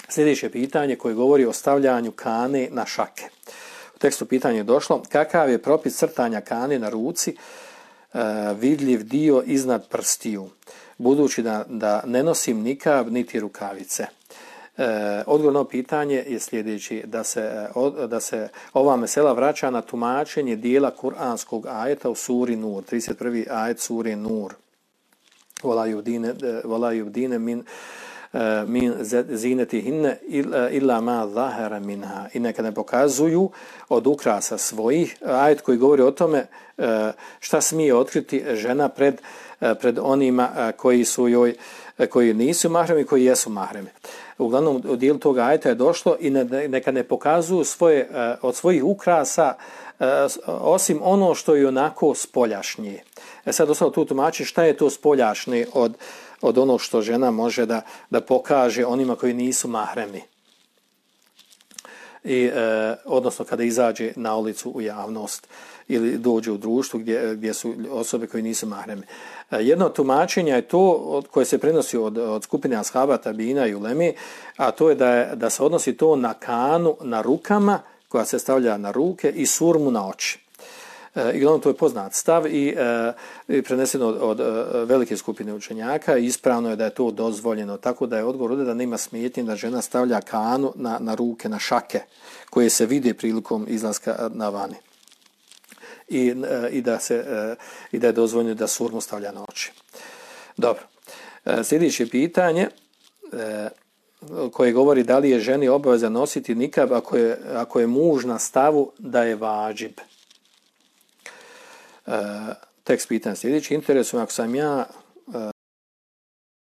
Sljedeće pitanje koje govori o stavljanju kane na šake. U tekstu pitanje je došlo: kakav je propis crtanja kane na ruci, vidljiv dio iznad prstiju, budući da ne nosim nikab niti rukavice? Odgovor na pitanje je sljedeći: da se ova mesela vraća na tumačenje dijela kuranskog ajeta u suri Nur, 31. ajet suri Nur. Wala yubdine min zinetihinne illa ma zahara minha. I neka ne pokazuju od ukrasa svojih, ajet koji govori o tome šta smije otkriti žena pred onima koji nisu mahremi i koji jesu mahremi. Uglavnom, u dijelu toga ajeta je došlo i neka ne pokazuju od svojih ukrasa osim ono što je onako spoljašnje. Sad ostalo tu tumači šta je to spoljašnje od onog što žena može da pokaže onima koji nisu mahremi. Odnosno kada izađe na ulicu u javnost ili dođe u društvu gdje su osobe koji nisu mahremi. Jedno tumačenje je to koje se prenosi od skupine ashaba, tabina i uleme, a to je da se odnosi to na kanu na rukama koja se stavlja na ruke i surmu na oči. I uglavnom to je poznat stav i preneseno od velike skupine učenjaka. Ispravno je da je to dozvoljeno, tako da je odgovor da nema smetnje da žena stavlja kanu na ruke, na šake koje se vide prilikom izlaska na vani. I da je dozvoljeno da surmu stavlja na oči. Dobro. Sljedeće pitanje koje govori da li je ženi obaveza nositi nikab ako je muž na stavu da je vadžib. Tekst pitanja sljedeći: interesuje ako sam ja